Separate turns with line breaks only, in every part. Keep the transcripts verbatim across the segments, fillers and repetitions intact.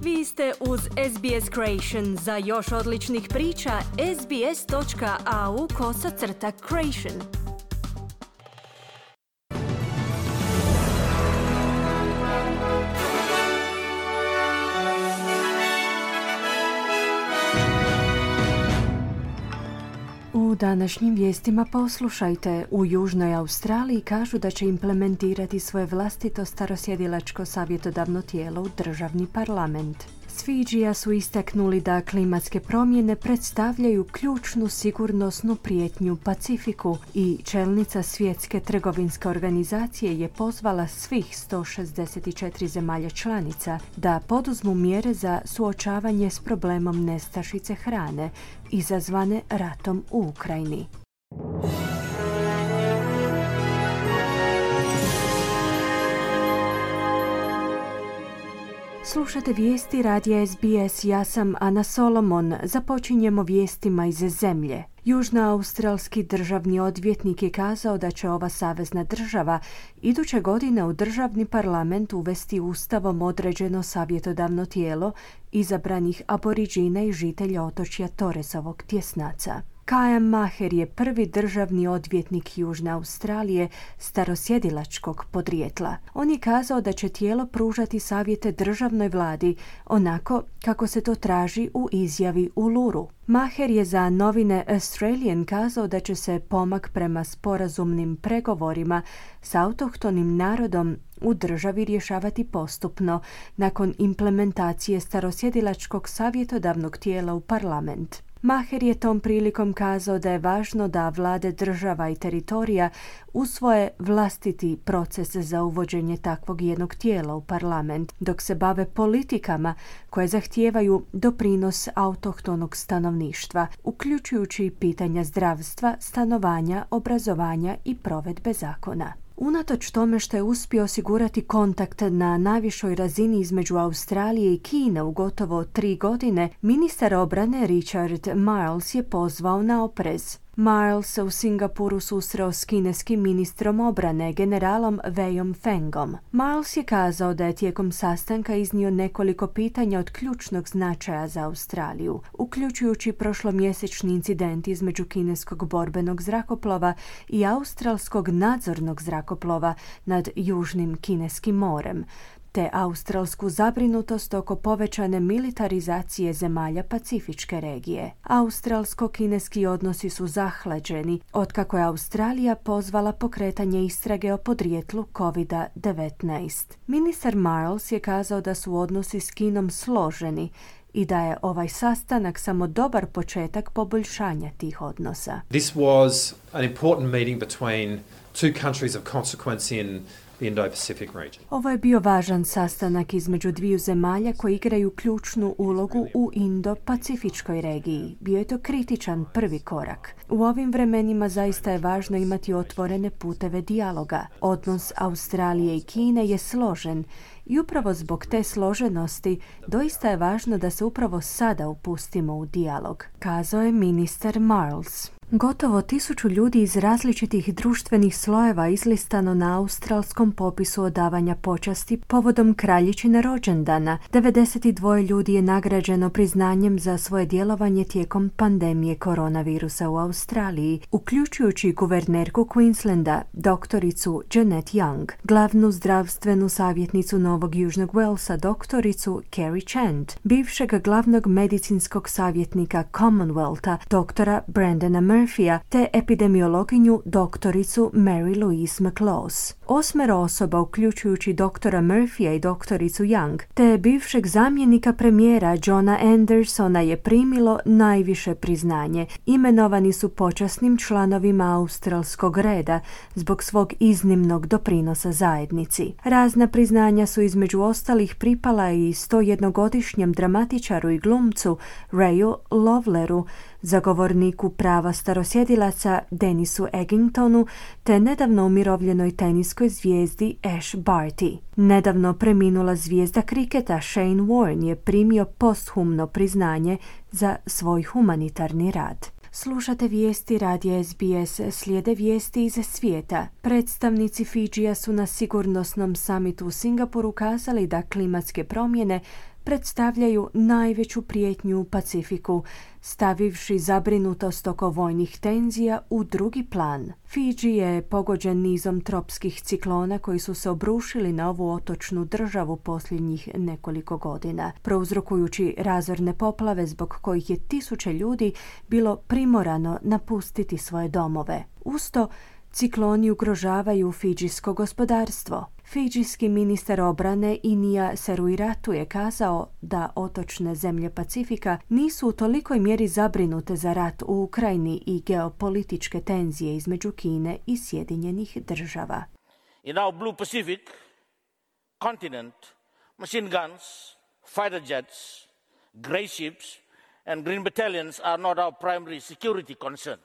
Vi ste uz S B S Creation. Za još odličnih priča, sbs.au kosacrta creation.
U današnjim vijestima poslušajte. U Južnoj Australiji kažu da će implementirati svoje vlastito starosjedilačko savjetodavno tijelo u državni parlament. S Fidžija su istaknuli da klimatske promjene predstavljaju ključnu sigurnosnu prijetnju Pacifiku i čelnica Svjetske trgovinske organizacije je pozvala svih sto šezdeset četiri zemalja članica da poduzmu mjere za suočavanje s problemom nestašice hrane izazvane ratom u Ukrajini. Slušate vijesti radija S B S, ja sam Ana Solomon. Započinjemo vijestima iz zemlje. Južnoaustralski državni odvjetnik je kazao da će ova savezna država iduće godine u državni parlament uvesti ustavom određeno savjetodavno tijelo izabranih aboriđina i žitelja otočja Torresovog tjesnaca. Kajam Maher je prvi državni odvjetnik Južne Australije starosjedilačkog podrijetla. On je kazao da će tijelo pružati savjete državnoj vladi onako kako se to traži u izjavi Uluru. Maher je za novine Australian kazao da će se pomak prema sporazumnim pregovorima s autohtonim narodom u državi rješavati postupno nakon implementacije starosjedilačkog savjetodavnog tijela u parlament. Maher je tom prilikom kazao da je važno da vlade država i teritorija usvoje vlastiti proces za uvođenje takvog jednog tijela u parlament, dok se bave politikama koje zahtijevaju doprinos autohtonog stanovništva, uključujući pitanja zdravstva, stanovanja, obrazovanja i provedbe zakona. Unatoč tome što je uspio osigurati kontakt na najvišoj razini između Australije i Kine u gotovo tri godine, ministar obrane Richard Marles je pozvao na oprez. Marles se u Singapuru susreo s kineskim ministrom obrane, generalom Weiom Fengom. Marles je kazao da je tijekom sastanka iznio nekoliko pitanja od ključnog značaja za Australiju, uključujući prošlomjesečni incident između kineskog borbenog zrakoplova i australskog nadzornog zrakoplova nad Južnim kineskim morem, te australsku zabrinutost oko povećane militarizacije zemalja Pacifičke regije. Australsko-kineski odnosi su zahlađeni otkako je Australija pozvala pokretanje istrage o podrijetlu kovid devetnaest. Ministar Marles je kazao da su odnosi s Kinom složeni i da je ovaj sastanak samo dobar početak poboljšanja tih odnosa.
This was an important meeting between two countries of consequence in Indo-Pacific region.
Ovo je bio važan sastanak između dviju zemalja koji igraju ključnu ulogu u Indo-Pacifičkoj regiji. Bio je to kritičan prvi korak. U ovim vremenima zaista je važno imati otvorene puteve dijaloga. Odnos Australije i Kine je složen i upravo zbog te složenosti doista je važno da se upravo sada upustimo u dijalog, kazao je ministar Marles. Gotovo tisuću ljudi iz različitih društvenih slojeva izlistano na australskom popisu odavanja počasti povodom kraljičine rođendana. devedeset dva ljudi je nagrađeno priznanjem za svoje djelovanje tijekom pandemije koronavirusa u Australiji, uključujući guvernerku Queenslanda, doktoricu Janet Young, glavnu zdravstvenu savjetnicu Novog Južnog Walesa, doktoricu Kerry Chant, bivšeg glavnog medicinskog savjetnika Commonwealtha, doktora Brandona Murphy, te epidemiologinju doktoricu Mary Louise McLaws. Osmero osoba, uključujući doktora Murphya i doktoricu Young, te bivšeg zamjenika premijera Johna Andersona je primilo najviše priznanje. Imenovani su počasnim članovima australskog reda zbog svog iznimnog doprinosa zajednici. Razna priznanja su između ostalih pripala i sto jednogodišnjem dramatičaru i glumcu Rayu Loveleru, zagovorniku prava starosjedilaca Denisu Eggingtonu, te nedavno umirovljenoj teniskoj zvijezdi Ash Barty. Nedavno preminula zvijezda kriketa Shane Warne je primio posthumno priznanje za svoj humanitarni rad. Slušate vijesti radija S B S, slijede vijesti iz svijeta. Predstavnici Fidžija su na sigurnosnom samitu u Singapuru kazali da klimatske promjene predstavljaju najveću prijetnju u Pacifiku, stavivši zabrinutost oko vojnih tenzija u drugi plan. Fidži je pogođen nizom tropskih ciklona koji su se obrušili na ovu otočnu državu posljednjih nekoliko godina, prouzrokujući razorne poplave zbog kojih je tisuće ljudi bilo primorano napustiti svoje domove. Usto, cikloni ugrožavaju fidžijsko gospodarstvo. Fidžijski ministar obrane Inija Seruiratu je kazao da otočne zemlje Pacifika nisu u tolikoj mjeri zabrinute za rat u Ukrajini i geopolitičke tenzije između Kine i Sjedinjenih država.
In our blue Pacific continent, machine guns, fighter jets, grey ships and green battalions are not our primary security concern.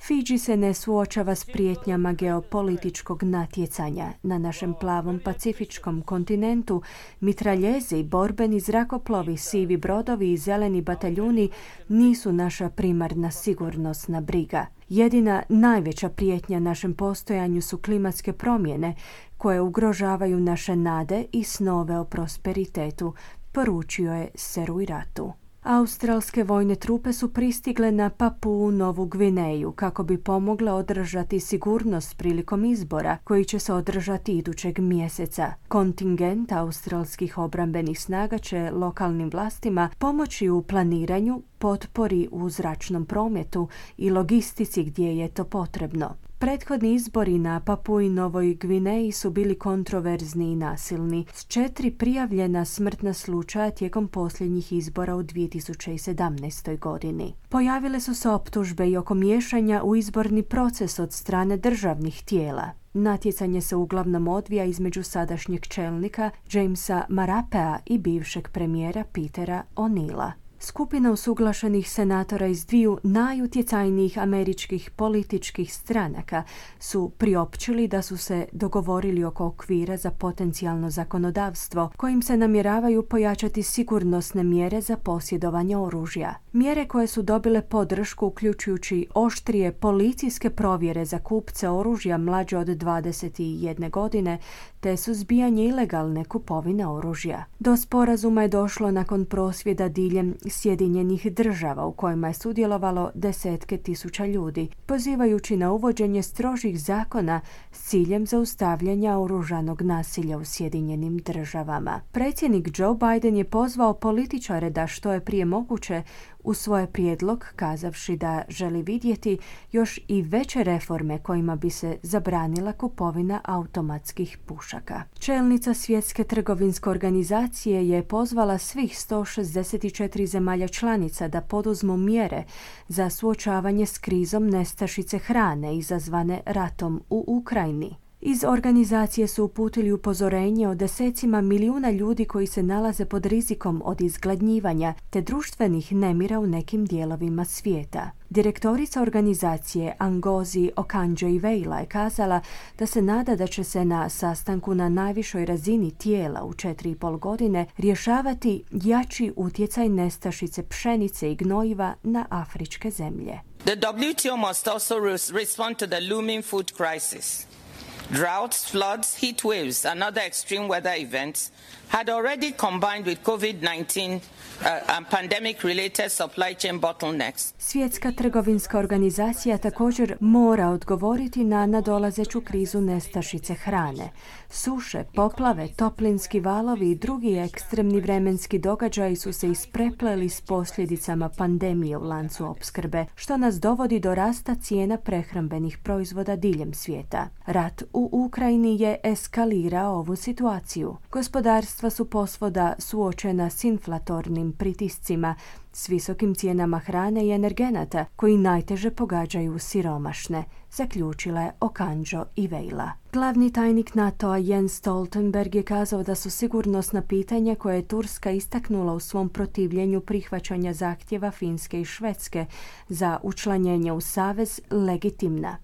Fidži se ne suočava s prijetnjama geopolitičkog natjecanja. Na našem plavom pacifičkom kontinentu mitraljezi, borbeni zrakoplovi, sivi brodovi i zeleni bataljuni nisu naša primarna sigurnosna briga. Jedina najveća prijetnja našem postojanju su klimatske promjene koje ugrožavaju naše nade i snove o prosperitetu, poručio je Seruiratu. Australske vojne trupe su pristigle na Papuu Novu Gvineju kako bi pomogle održati sigurnost prilikom izbora koji će se održati idućeg mjeseca. Kontingent australskih obrambenih snaga će lokalnim vlastima pomoći u planiranju, potpori u zračnom prometu i logistici gdje je to potrebno. Prethodni izbori na Papui Novoj Gvineji su bili kontroverzni i nasilni, s četiri prijavljena smrtna slučaja tijekom posljednjih izbora u dvije tisuće sedamnaestoj. godini. Pojavile su se optužbe i oko miješanja u izborni proces od strane državnih tijela. Natjecanje se uglavnom odvija između sadašnjeg čelnika Jamesa Marapea i bivšeg premijera Petera O'Neilla. Skupina usuglašenih senatora iz dviju najutjecajnijih američkih političkih stranaka su priopćili da su se dogovorili oko okvira za potencijalno zakonodavstvo kojim se namjeravaju pojačati sigurnosne mjere za posjedovanje oružja. Mjere koje su dobile podršku uključujući oštrije policijske provjere za kupce oružja mlađe od dvadeset jedne godine te suzbijanje ilegalne kupovine oružja. Do sporazuma je došlo nakon prosvjeda diljem Sjedinjenih država u kojima je sudjelovalo desetke tisuća ljudi, pozivajući na uvođenje strožih zakona s ciljem zaustavljanja oružanog nasilja u Sjedinjenim državama. Predsjednik Joe Biden je pozvao političare da što je prije moguće u svoj prijedlog kazavši da želi vidjeti još i veće reforme kojima bi se zabranila kupovina automatskih pušaka. Čelnica Svjetske trgovinske organizacije je pozvala svih sto šezdeset četiri zemalja članica da poduzmu mjere za suočavanje s krizom nestašice hrane izazvane ratom u Ukrajini. Iz organizacije su uputili upozorenje o desecima milijuna ljudi koji se nalaze pod rizikom od izgladnjivanja te društvenih nemira u nekim dijelovima svijeta. Direktorica organizacije Ngozi Okonjo-Iweala je kazala da se nada da će se na sastanku na najvišoj razini tijela u četiri i pol godine rješavati jači utjecaj nestašice pšenice i gnojiva na afričke zemlje.
The W T O must also respond to the looming food crisis. Droughts, floods, heat waves, and other extreme weather events had already combined with COVID nineteen uh, and pandemic-related supply chain bottlenecks.
Svjetska trgovinska organizacija također mora odgovoriti na nadolazeću krizu nestašice hrane. Suše, poplave, toplinski valovi i drugi ekstremni vremenski događaji su se isprepleli s posljedicama pandemije u lancu opskrbe, što nas dovodi do rasta cijena prehrambenih proizvoda diljem svijeta. Rat u Ukrajini je eskalirao ovu situaciju. Gospodarstva su posvuda suočena s inflatornim pritiscima, s visokim cijenama hrane i energenata koji najteže pogađaju siromašne, zaključila je Okonjo-Iweala. Glavni tajnik NATO-a Jens Stoltenberg je kazao da su sigurnosna pitanja koje je Turska istaknula u svom protivljenju prihvaćanja zahtjeva Finske i Švedske za učlanjenje u savez legitimna.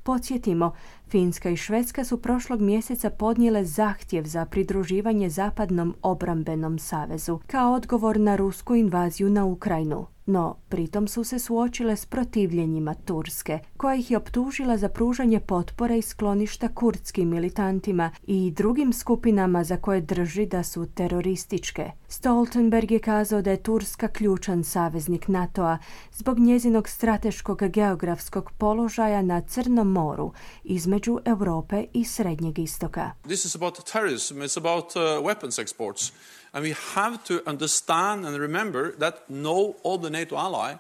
Podsjetimo, Finska i Švedska su prošlog mjeseca podnijele zahtjev za pridruživanje Zapadnom obrambenom savezu kao odgovor na rusku invaziju na Ukrajinu. No, pritom su se suočile s protivljenjima Turske, koja ih je optužila za pružanje potpore i skloništa kurdskim militantima i drugim skupinama za koje drži da su terorističke. Stoltenberg je kazao da je Turska ključan saveznik NATO-a zbog njezinog strateškog geografskog položaja na Crnom moru između Europe i Srednjeg istoka.
This is about terrorism, it's about uh, weapons exports. And we have to understand and remember that no other NATO ally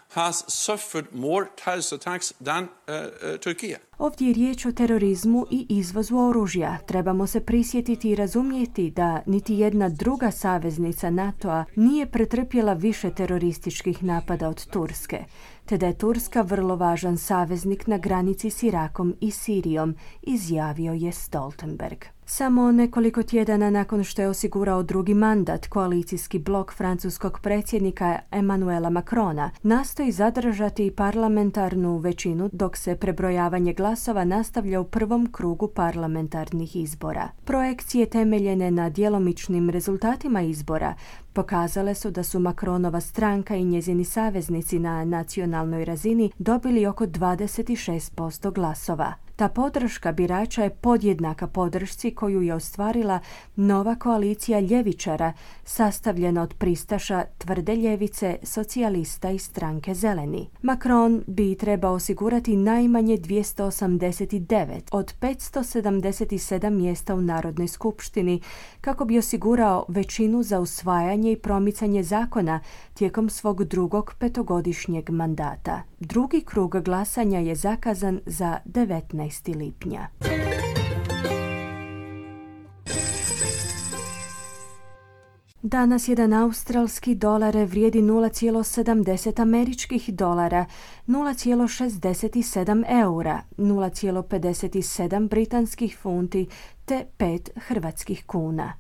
has suffered more terrorist attacks than uh, uh, Turkey.
Ovdje je riječ o terorizmu i izvozu oružja. Trebamo se prisjetiti i razumjeti da niti jedna druga saveznica NATO-a nije pretrpjela više terorističkih napada od Turske, te da je Turska vrlo važan saveznik na granici s Irakom i Sirijom, izjavio je Stoltenberg. Samo nekoliko tjedana nakon što je osigurao drugi mandat, koalicijski blok francuskog predsjednika Emmanuela Macrona nastoji zadržati parlamentarnu većinu dok se prebrojavanje glasova nastavlja u prvom krugu parlamentarnih izbora. Projekcije temeljene na djelomičnim rezultatima izbora pokazale su da su Macronova stranka i njezini saveznici na nacionalnoj razini dobili oko dvadeset šest posto glasova. Ta podrška birača je podjednaka podršci koju je ostvarila nova koalicija ljevičara sastavljena od pristaša tvrde ljevice, socijalista i stranke Zeleni. Macron bi trebao osigurati najmanje dvjesto osamdeset devet od petsto sedamdeset sedam mjesta u Narodnoj skupštini kako bi osigurao većinu za usvajanje i promicanje zakona tijekom svog drugog petogodišnjeg mandata. Drugi krug glasanja je zakazan za devetnaestog lipnja. Danas jedan australski dolar vrijedi nula zarez sedamdeset američkih dolara, nula zarez šezdeset sedam eura, nula zarez pedeset sedam britanskih funti te pet hrvatskih kuna.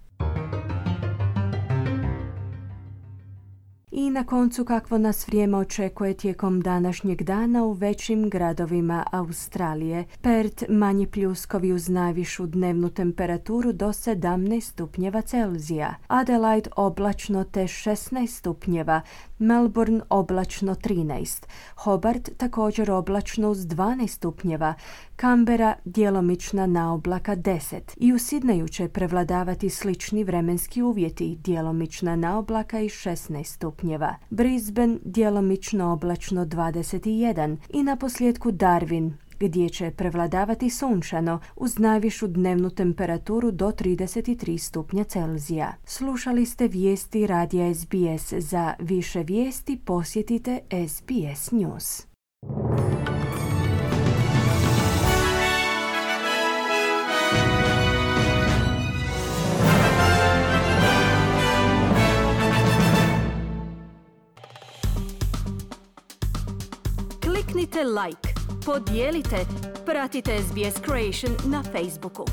I na koncu kakvo nas vrijeme očekuje tijekom današnjeg dana u većim gradovima Australije. Perth manji pljuskovi uz najvišu dnevnu temperaturu do sedamnaest stupnjeva Celzija. Adelaide oblačno te šesnaest stupnjeva. Melbourne oblačno trinaest. Hobart također oblačno uz dvanaest stupnjeva. Canberra djelomična naoblaka deset. I u Sidneju će prevladavati slični vremenski uvjeti, djelomična naoblaka i šesnaest stupnjeva. Brisbane djelomično oblačno dvadeset jedan i na posljedku Darwin, gdje će prevladavati sunčano uz najvišu dnevnu temperaturu do trideset tri stupnja Celzija. Slušali ste vijesti radija S B S. Za više vijesti posjetite S B S News.
Kliknite like, podijelite, pratite S B S Creation na Facebooku.